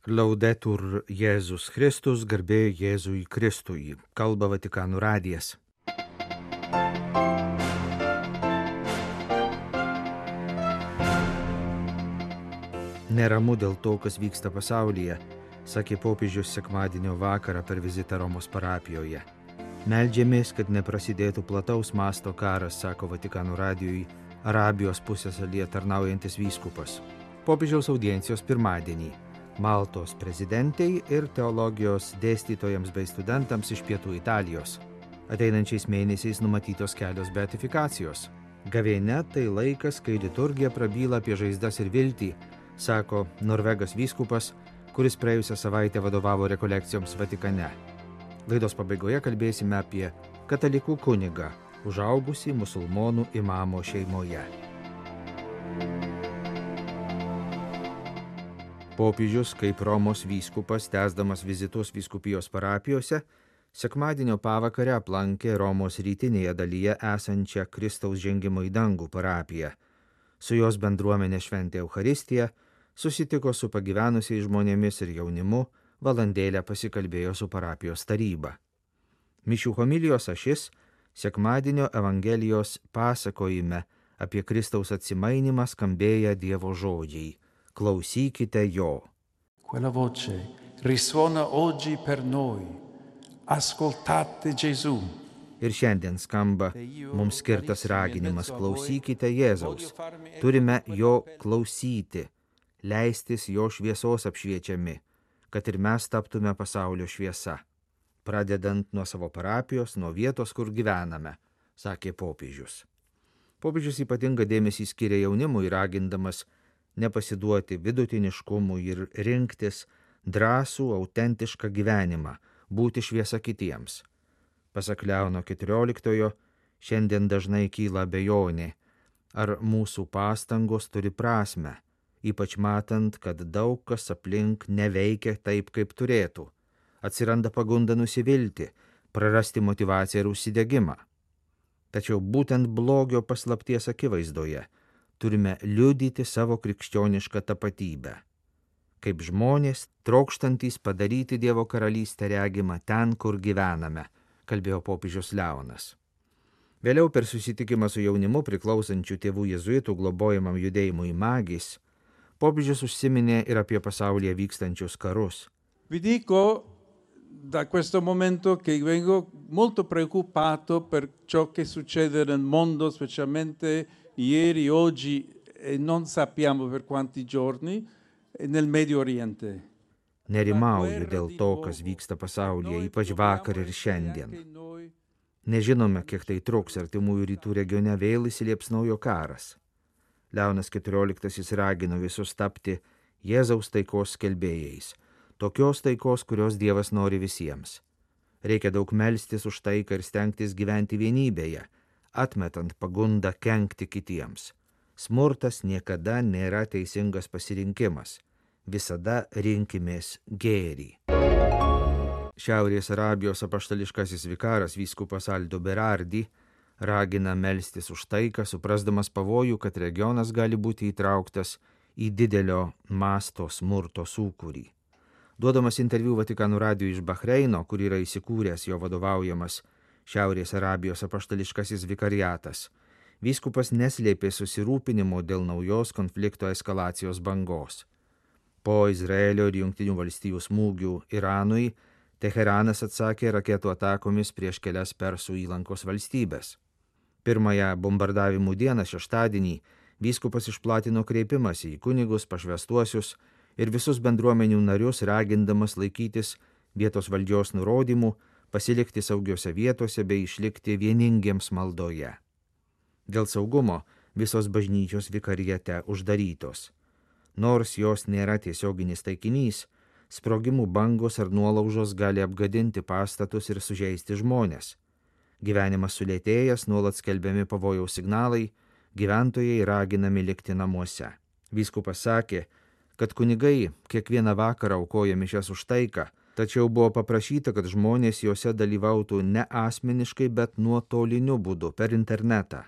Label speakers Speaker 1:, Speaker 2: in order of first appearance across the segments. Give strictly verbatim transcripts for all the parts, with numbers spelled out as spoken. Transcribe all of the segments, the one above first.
Speaker 1: Laudetur Jėzus Kristus, garbė Jėzui Kristui, kalba Vatikano radijas. Neramu dėl to, kas vyksta pasaulyje, sakė popiežius sekmadienio vakarą per vizitą Romos parapijoje. Meldžiamės, kad neprasidėtų plataus masto karas, sako Vatikano radijui Arabijos pusiasalyje tarnaujantis vyskupas. Popiežiaus audiencijos pirmadienį Maltos prezidentei ir teologijos dėstytojams bei studentams iš pietų Italijos. Ateinančiais mėnesiais numatytos kelios beatifikacijos. Gavėnia tai laikas, kai liturgija prabyla apie žaizdas ir viltį, sako norvegas vyskupas, kuris praėjusią savaitę vadovavo rekolekcijoms Vatikane. Laidos pabaigoje kalbėsime apie katalikų kunigą, užaugusį musulmonų imamo šeimoje. Popiežius, kaip Romos vyskupas, tęsdamas vizitus vyskupijos parapijose, sekmadienio pavakarę aplankė Romos rytinėje dalyje esančią Kristaus žengimo į dangų parapiją. Su jos bendruomenė šventė Eucharistiją, susitiko su pagyvenusiais žmonėmis ir jaunimu, valandėlę pasikalbėjo su parapijos taryba. Mišių homilijos ašis sekmadienio Evangelijos pasakojime apie Kristaus atsimainimą skambėję Dievo žodžiai. Klausykite jo.
Speaker 2: Quella voce risuona oggi per noi. Ascoltate Gesù.
Speaker 1: Ir šiandien skamba mums skirtas raginimas: klausykite Jėzaus. Turime jo klausyti, leistis jo šviesos apšviečiami, kad ir mes taptume pasaulio šviesa, pradedant nuo savo parapijos, nuo vietos, kur gyvename, sakė popiežius. Popiežius ypatingą dėmesį skiria jaunimui, ragindamas nepasiduoti vidutiniškumui ir rinktis drąsų, autentišką gyvenimą, būti šviesa kitiems. Pasak Leono keturioliktojo, šiandien dažnai kyla abejonė, ar mūsų pastangos turi prasmę, ypač matant, kad daug kas aplink neveikia taip, kaip turėtų. Atsiranda pagunda nusivilti, prarasti motyvaciją ir užsidegimą. Tačiau būtent blogio paslapties akivaizdoje turime liudyti savo krikščionišką tapatybę, kaip žmonės trokštantys padaryti Dievo karalystę regimą ten, kur gyvename, kalbėjo popiežius Leonas. Vėliau per susitikimą su jaunimu priklausančių tėvų jėzuitų globojamam judėjimui Magis, popiežius užsiminė ir apie pasaulyje vykstančius karus.
Speaker 2: Vi dico da questo momento che vengo molto preoccupato per ciò che succede nel mondo, specialmente ieri, oggi e non sappiamo per quanti giorni nel Medio Oriente.
Speaker 1: Nerimauju dėl to, kas vyksta pasaulyje, ypač vakar ir šiandien. Nežinome, kiek tai truks, artimųjų rytų regione vėl įsiliepsnojo karas. Leonas keturioliktasis ragino visus tapti Jėzaus taikos skelbėjais, tokios taikos, kurios Dievas nori visiems. Reikia daug melstis už taiką ir stengtis gyventi vienybėje, atmetant pagundą kenkti kitiems. Smurtas niekada nėra teisingas pasirinkimas. Visada rinkimės gėrį. Šiaurės Arabijos apaštališkasis vikaras vyskupas Aldo Berardi ragina melstis už taiką, suprasdamas pavojų, kad regionas gali būti įtrauktas į didelio masto smurto sūkurį. Duodamas interviu Vatikano radijui iš Bahreino, kur yra įsikūręs jo vadovaujamas Šiaurės Arabijos apaštališkasis vikariatas, vyskupas neslėpė susirūpinimo dėl naujos konflikto eskalacijos bangos. Po Izraelio ir Jungtinių valstijų smūgių Iranui, Teheranas atsakė raketų atakomis prieš kelias Persų įlankos valstybės. Pirmąją bombardavimų dieną šeštadienį vyskupas išplatino kreipimąsi į kunigus, pašvęstuosius ir visus bendruomenių narius, ragindamas laikytis vietos valdžios nurodymų, pasilikti saugiose vietose bei išlikti vieningiems maldoje. Dėl saugumo visos bažnyčios vikariate uždarytos. Nors jos nėra tiesioginis taikinys, sprogimų bangos ar nuolaužos gali apgadinti pastatus ir sužeisti žmonės. Gyvenimas sulėtėjęs, nuolat skelbiami pavojaus signalai, gyventojai raginami likti namuose. Vyskupas sakė, kad kunigai kiekvieną vakarą aukoja mišias už taiką, tačiau buvo paprašyta, kad žmonės juose dalyvautų ne asmeniškai, bet nuotoliniu būdu per internetą.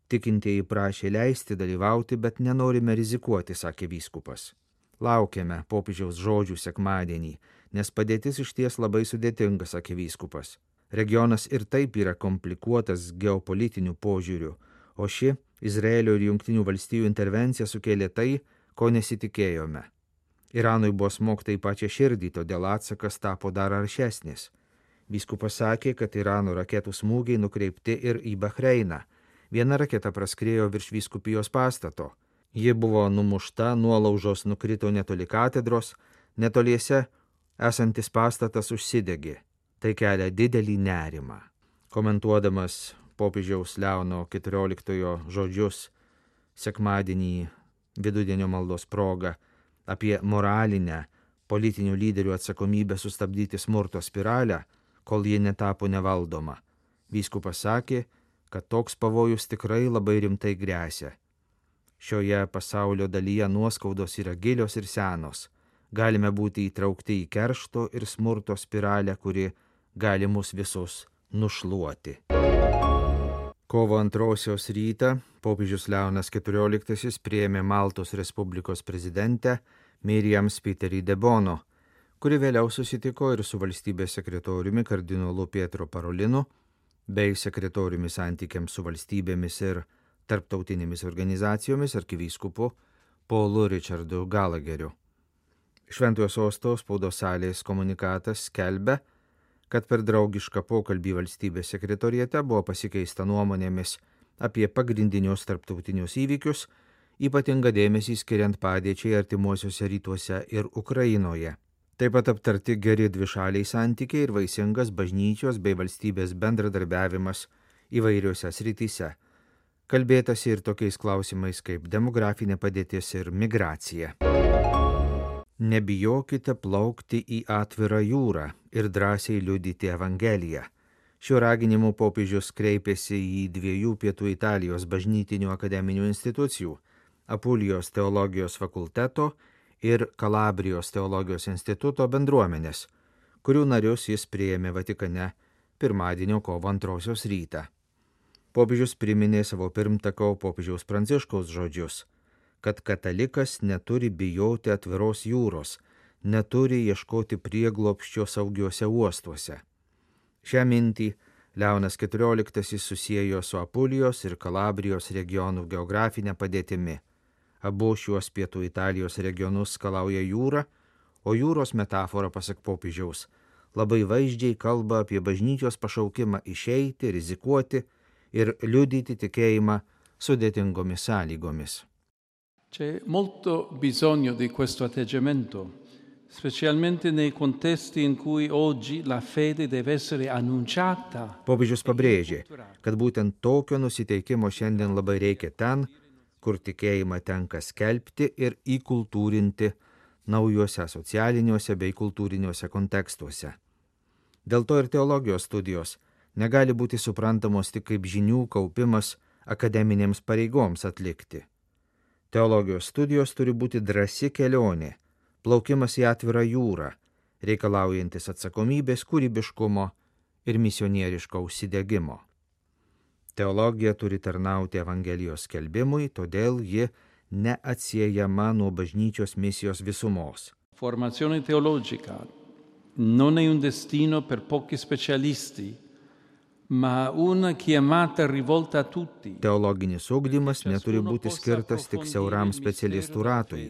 Speaker 1: Tikintieji prašė leisti dalyvauti, bet nenorime rizikuoti, sakė vyskupas. Laukiame popiežiaus žodžių sekmadienį, nes padėtis išties labai sudėtinga, sakė vyskupas. Regionas ir taip yra komplikuotas geopolitiniu požiūriu, o ši Izraelio ir Jungtinių valstijų intervencija sukėlė tai, ko nesitikėjome. Iranui buvo smogta į pačią širdį, todėl atsakas tapo dar aršesnis. Vyskupas sakė, kad Irano raketų smūgiai nukreipti ir į Bahreiną. Viena raketa praskriejo virš vyskupijos pastato. Ji buvo numušta, nuolaužos nukrito netoli katedros, netoliese esantis pastatas užsidegė. Tai kelia didelį nerimą. Komentuodamas popiežiaus Leono keturioliktojo žodžius sekmadienį vidudienio maldos proga apie moralinę politinių lyderių atsakomybę sustabdyti smurto spiralę, kol ji netapo nevaldoma, vyskupas sakė, kad toks pavojus tikrai labai rimtai gresia. Šioje pasaulio dalyje nuoskaudos yra gilios ir senos. Galime būti įtraukti į keršto ir smurto spiralę, kuri gali mus visus nušluoti. Kovo antrosios rytą popiežius Leonas keturioliktasis priėmė Maltos Respublikos prezidentę Miriam Spiteri de Bono, kuri vėliau susitiko ir su valstybės sekretoriumi kardinolu Pietro Parolinu bei sekretoriumi santykiams su valstybėmis ir tarptautinėmis organizacijomis arkivyskupu Paulu Richardu Gallagheriu. Šventojo sosto spaudos salės komunikatas skelbia, kad per draugišką pokalbį valstybės sekretoriate buvo pasikeista nuomonėmis apie pagrindinius tarptautinius įvykius, ypatingą dėmesį skiriant padėčiai artimuosiuose rytuose ir Ukrainoje. Taip pat aptarti geri dvišaliai santykiai ir vaisingas bažnyčios bei valstybės bendradarbiavimas įvairiuose srityse. Kalbėtasi ir tokiais klausimais kaip demografinė padėtis ir migracija. Nebijokite plaukti į atvirą jūrą ir drąsiai liudyti Evangeliją. Šiuo raginimu popiežius kreipėsi į dviejų pietų Italijos bažnytinių akademinių institucijų – Apulijos teologijos fakulteto ir Kalabrijos teologijos instituto bendruomenės, kurių narius jis priėmė Vatikane pirmadienio kovo antrosios rytą. Popiežius priminė savo pirmtako popiežiaus Pranciškaus žodžius, kad katalikas neturi bijoti atviros jūros, neturi ieškoti prieglobsčio saugiuose uostuose. Šią mintį Leonas keturioliktasis susiejo su Apulijos ir Kalabrijos regionų geografinė padėtimi. Abu šiuos pietų Italijos regionus skalauja jūra, o jūros metafora, pasak popiežiaus, labai vaizdžiai kalba apie bažnyčios pašaukimą išeiti, rizikuoti ir liudyti tikėjimą sudėtingomis sąlygomis.
Speaker 2: C'è molto bisogno di questo atteggiamento, specialmente nei contesti in cui oggi la fede deve essere annunciata.
Speaker 1: Popiežius pabrėžė, kad būtent tokio nusiteikimo šiandien labai reikia ten, kur tikėjimą tenka skelbti ir įkultūrinti naujuose socialiniuose bei kultūriniuose kontekstuose. Dėl to ir teologijos studijos negali būti suprantamos tik kaip žinių kaupimas akademinėms pareigoms atlikti. Teologijos studijos turi būti drąsi kelionė, plaukimas į atvirą jūrą, reikalaujantis atsakomybės, kūrybiškumo ir misionieriško užsidegimo. Teologija turi tarnauti Evangelijos skelbimui, todėl ji neatsiejama nuo bažnyčios misijos visumos.
Speaker 2: Formazione teologica non è un destino per pochi specialisti, ma una chiamata rivolta a tutti.
Speaker 1: Teologinis ugdymas neturi būti skirtas tik siauram specialistų ratui.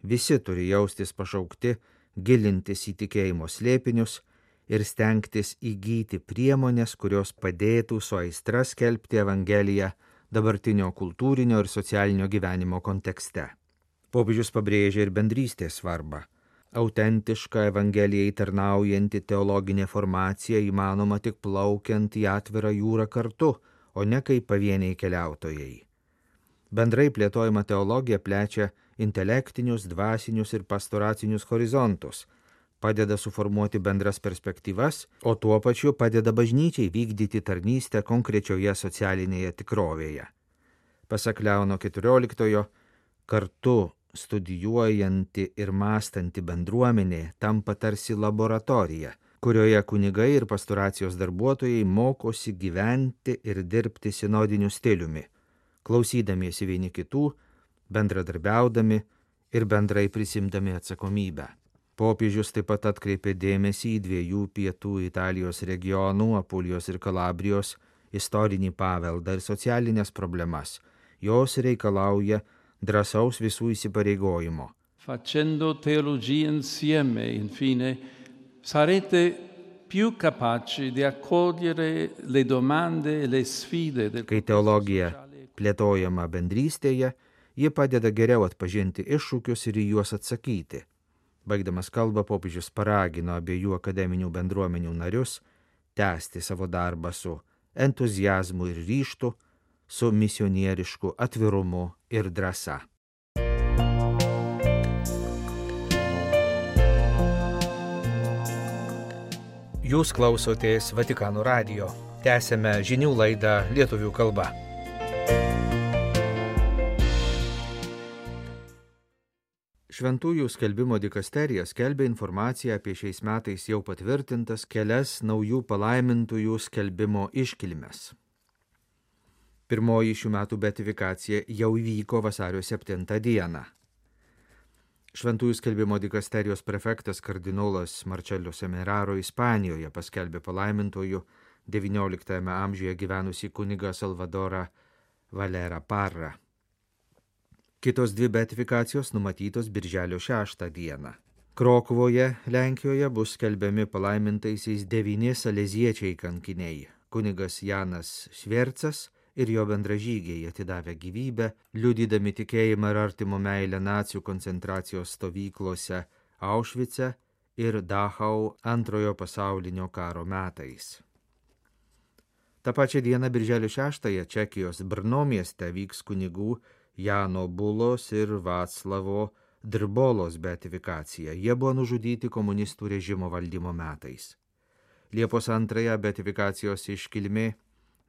Speaker 1: Visi turi jaustis pašaukti, gilintis į tikėjimo slėpinius ir stengtis įgyti priemonės, kurios padėtų su aistra skelbti Evangeliją dabartinio kultūrinio ir socialinio gyvenimo kontekste. Popiežius pabrėžia ir bendrystės svarbą. Autentiška Evangelijai tarnaujanti teologinė formacija įmanoma tik plaukiant į atvirą jūrą kartu, o ne kaip pavieniai keliautojai. Bendrai plėtojama teologija plečia intelektinius, dvasinius ir pastoracinius horizontus, padeda suformuoti bendras perspektyvas, o tuo pačiu padeda bažnyčiai vykdyti tarnystę konkrečioje socialinėje tikrovėje. Pasak Leono keturioliktojo, kartu studijuojanti ir mąstanti bendruomenė tampa tarsi laboratorija, kurioje kunigai ir pastoracijos darbuotojai mokosi gyventi ir dirbti sinodiniu stiliumi, klausydamiesi vieni kitų, bendradarbiaudami ir bendrai prisimdami atsakomybę. Popiežius taip pat atkreipė dėmesį į dviejų pietų Italijos regionų, Apulijos ir Kalabrijos, istorinį paveldą ir socialinės problemas. Jos reikalauja drąsaus visų įsipareigojimo.
Speaker 2: Facendo teologia insieme, infine, sarete più capaci di accogliere le domande e le sfide del
Speaker 1: Kai teologija plėtojama bendrystėje, ji padeda geriau atpažinti iššūkius ir į juos atsakyti. Baigdamas kalbą, popiežius paragino abiejų akademinių bendruomenių narius tęsti savo darbą su entuziazmu ir ryžtu, su misionierišku atvirumu ir drąsa. Jūs klausotės Vatikano radijo. Tęsiame žinių laidą lietuvių kalba. Šventųjų skelbimo dikasterija skelbia informaciją apie šiais metais jau patvirtintas kelias naujų palaimintųjų skelbimo iškilmes. Pirmoji šių metų beatifikacija jau įvyko vasario septintą dieną. Šventųjų skelbimo dikasterijos prefektas kardinolas Marcello Semeraro Ispanijoje paskelbė palaimintųjų devynioliktajame amžiuje gyvenusį kunigą Salvadorą Valerą Parrą. Kitos dvi beatifikacijos numatytos birželio šeštą dieną. Krokuvoje, Lenkijoje, bus skelbiami palaimintaisiais devyni saleziečiai kankiniai – kunigas Janas Švercas ir jo bendražygiai atidavę gyvybę, liudydami tikėjimą ir artimo meilę nacių koncentracijos stovyklose Aušvice ir Dachau antrojo pasaulinio karo metais. Ta pačia diena birželio šeštąją Čekijos Brno mieste vyks kunigų Jano Bulos ir Vaclavo Drbolos beatifikacija. Jie buvo nužudyti komunistų režimo valdymo metais. Liepos antrąją beatifikacijos iškilmė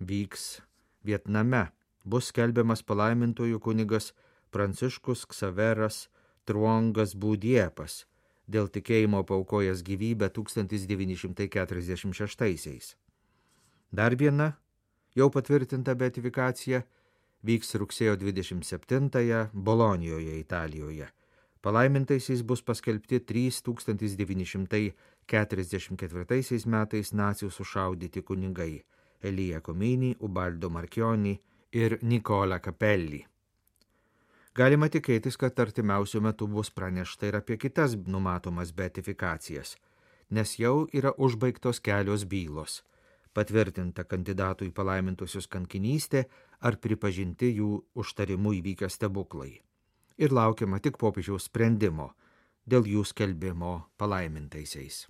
Speaker 1: vyks Vietname. Bus skelbiamas palaimintojų kunigas Pranciškus Ksaveras Truongas Būdiepas, dėl tikėjimo paaukojęs gyvybę tūkstantis devyni šimtai keturiasdešimt šeštaisiais. Dar viena jau patvirtinta beatifikacija vyks rugsėjo dvidešimt septintąją Bolonijoje, Italijoje. Palaimintaisiais bus paskelbti trys tūkstantis devyni šimtai keturiasdešimt ketvirtaisiais metais nacių sušaudyti kunigai Elija Komini, Ubaldo Marchioni ir Nikola Capelli. Galima tikėtis, kad artimiausiu metu bus pranešta ir apie kitas numatomas beatifikacijas, nes jau yra užbaigtos kelios bylos. Patvirtinta kandidatų į palaimintusius kankinystė ar pripažinti jų užtarimu įvykę stebuklai. Ir laukiama tik popiežiaus sprendimo dėl jų skelbimo palaimintaisiais.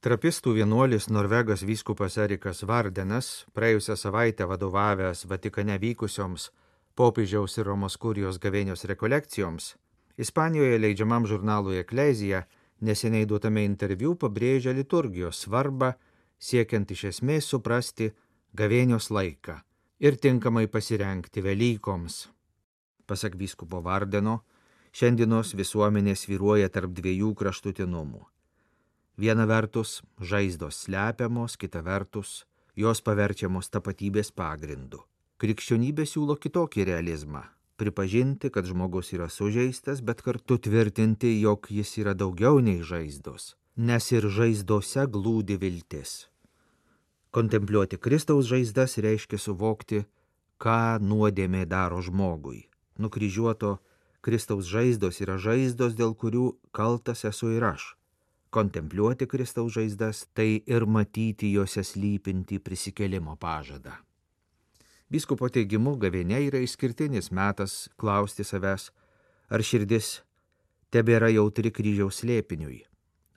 Speaker 1: Trapistų vienuolis norvegas vyskupas Erikas Vardenas, praėjusią savaitę vadovavęs Vatikane vykusioms popiežiaus ir Romos kurijos gavėnios rekolekcijoms, Ispanijoje leidžiamam žurnalui Eklezija neseniai duotame interviu pabrėžia liturgijos svarbą, siekiant iš esmės suprasti gavėnios laiką ir tinkamai pasirengti Velykoms. Pasak vyskupo Vardeno, šiandienos visuomenė svyruoja tarp dviejų kraštutinumų. Viena vertus žaizdos slepiamos, kita vertus jos paverčiamos tapatybės pagrindu. Krikščionybė siūlo kitokį realizmą. Pripažinti, kad žmogus yra sužeistas, bet kartu tvirtinti, jog jis yra daugiau nei žaizdos, nes ir žaizdose glūdi viltis. Kontempliuoti Kristaus žaizdas reiškia suvokti, ką nuodėmė daro žmogui. Nukryžiuoto Kristaus žaizdos yra žaizdos, dėl kurių kaltas esu ir aš. Kontempliuoti Kristaus žaizdas tai ir matyti juose slypinti prisikėlimo pažadą. Vyskupo teigimu, gavėnia yra išskirtinis metas klausti savęs, ar širdis tebėra jautri kryžiaus slėpiniui,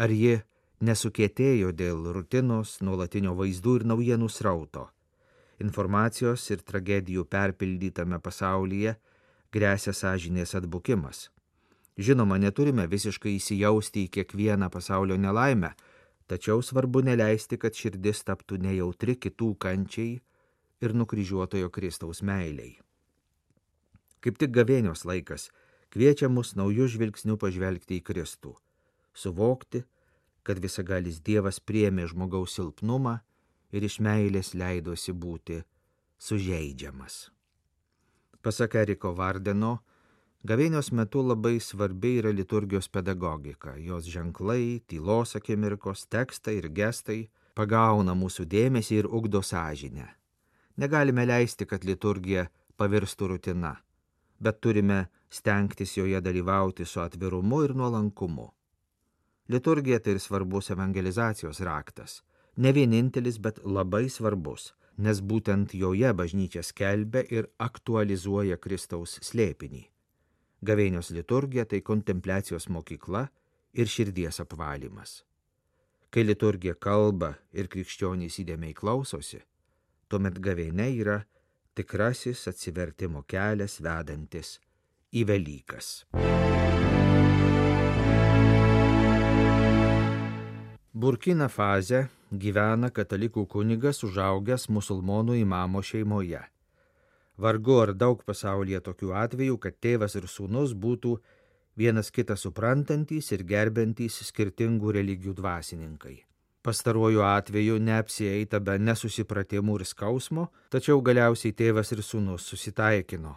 Speaker 1: ar ji nesukietėjo dėl rutinos, nuolatinio vaizdų ir naujienų srauto. Informacijos ir tragedijų perpildytame pasaulyje gresia sąžinės atbukimas. Žinoma, neturime visiškai įsijausti į kiekvieną pasaulio nelaimę, tačiau svarbu neleisti, kad širdis taptų nejautri kitų kančiai ir nukryžiuotojo Kristaus meiliai. Kaip tik gavėnios laikas kviečia mus naujų žvilgsnių pažvelgti į Kristų, suvokti, kad visagalis Dievas priėmė žmogaus silpnumą ir iš meilės leidosi būti sužeidžiamas. Pasak Eriko Vardeno, gavėnios metu labai svarbi yra liturgijos pedagogika, jos ženklai, tylos akimirkos, tekstai ir gestai pagauna mūsų dėmesį ir ugdo sąžinę. Negalime leisti, kad liturgija pavirstų rutina, bet turime stengtis joje dalyvauti su atvirumu ir nuolankumu. Liturgija tai ir svarbus evangelizacijos raktas, ne vienintelis, bet labai svarbus, nes būtent joje bažnyčia skelbia ir aktualizuoja Kristaus slėpinį. Gavėnios liturgija tai kontempliacijos mokykla ir širdies apvalymas. Kai liturgija kalba ir krikščionys įdėmiai klausosi, tuomet gavėnia yra tikrasis atsivertimo kelias vedantis į Velykas. Burkina Faze gyvena katalikų kunigas užaugęs musulmonų imamo šeimoje. Vargu ar daug pasaulyje tokių atvejų, kad tėvas ir sūnus būtų vienas kitą suprantantys ir gerbentys skirtingų religijų dvasininkai. Pastaruoju atveju neapsieita be nesusipratimų ir skausmo, tačiau galiausiai tėvas ir sūnus susitaikino.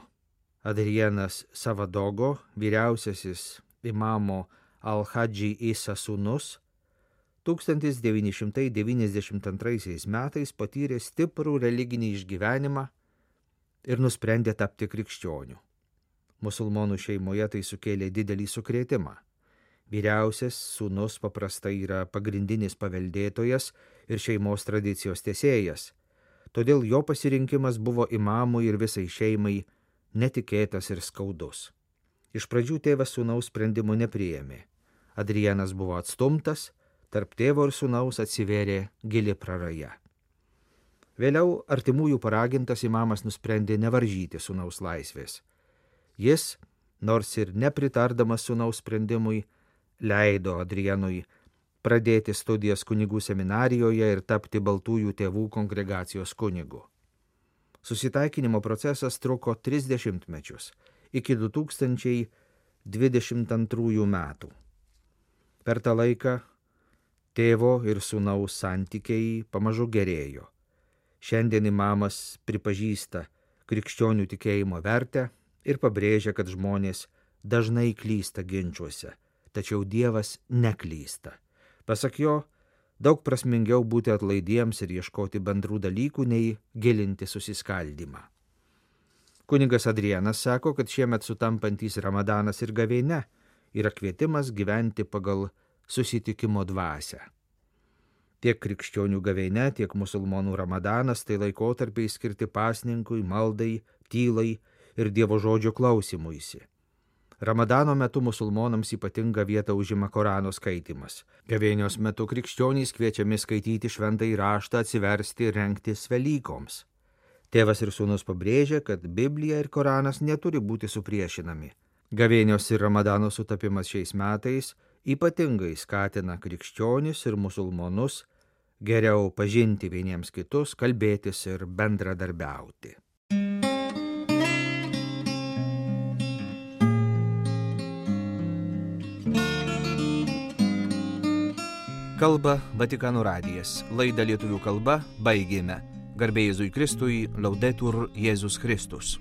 Speaker 1: Adrienas Savadogo, vyriausiasis imamo Al-Hadži Isa sūnus, tūkstantis devyni šimtai devyniasdešimt antraisiais metais patyrė stiprų religinį išgyvenimą ir nusprendė tapti krikščioniu. Musulmonų šeimoje tai sukėlė didelį sukrėtimą. Vyriausias sūnus paprastai yra pagrindinis paveldėtojas ir šeimos tradicijos tęsėjas, todėl jo pasirinkimas buvo imamui ir visai šeimai netikėtas ir skaudus. Iš pradžių tėvas sūnaus sprendimų nepriėmė. Adrianas buvo atstumtas, tarp tėvo ir sūnaus atsivėrė gili praraja. Vėliau artimųjų paragintas imamas nusprendė nevaržyti sūnaus laisvės. Jis, nors ir nepritardamas sūnaus sprendimui, leido Adrianui pradėti studijas kunigų seminarijoje ir tapti baltųjų tėvų kongregacijos kunigu. Susitaikinimo procesas truko tris dešimtmečius, iki du tūkstančiai dvidešimt antrųjų metų. Per tą laiką tėvo ir sūnaus santykiai pamažu gerėjo. Šiandien imamas pripažįsta krikščionių tikėjimo vertę ir pabrėžia, kad žmonės dažnai klysta ginčiuose, tačiau Dievas neklysta. Pasak jo, daug prasmingiau būti atlaidiems ir ieškoti bendrų dalykų, nei gilinti susiskaldymą. Kunigas Adrianas sako, kad šiemet sutampantys Ramadanas ir gavėnia yra kvietimas gyventi pagal susitikimo dvasią. Tiek krikščionių gavėnia, tiek musulmonų Ramadanas tai laikotarpiai skirti pasninkui, maldai, tylai ir Dievo žodžio klausimuisi. Ramadano metu musulmonams ypatingą vietą užima Korano skaitymas. Gavėnios metu krikščionys kviečiami skaityti šventąjį raštą, atsiversti ir rengtis Velykoms. Tėvas ir sūnus pabrėžia, kad Biblija ir Koranas neturi būti supriešinami. Gavėnios ir Ramadano sutapimas šiais metais ypatingai skatina krikščionis ir musulmonus geriau pažinti vieniems kitus, kalbėtis ir bendradarbiauti. Kalba Vatikano radijas. Laidą lietuvių kalba baigėme. Garbė Jėzui Kristui, Laudetur Jėzus Kristus.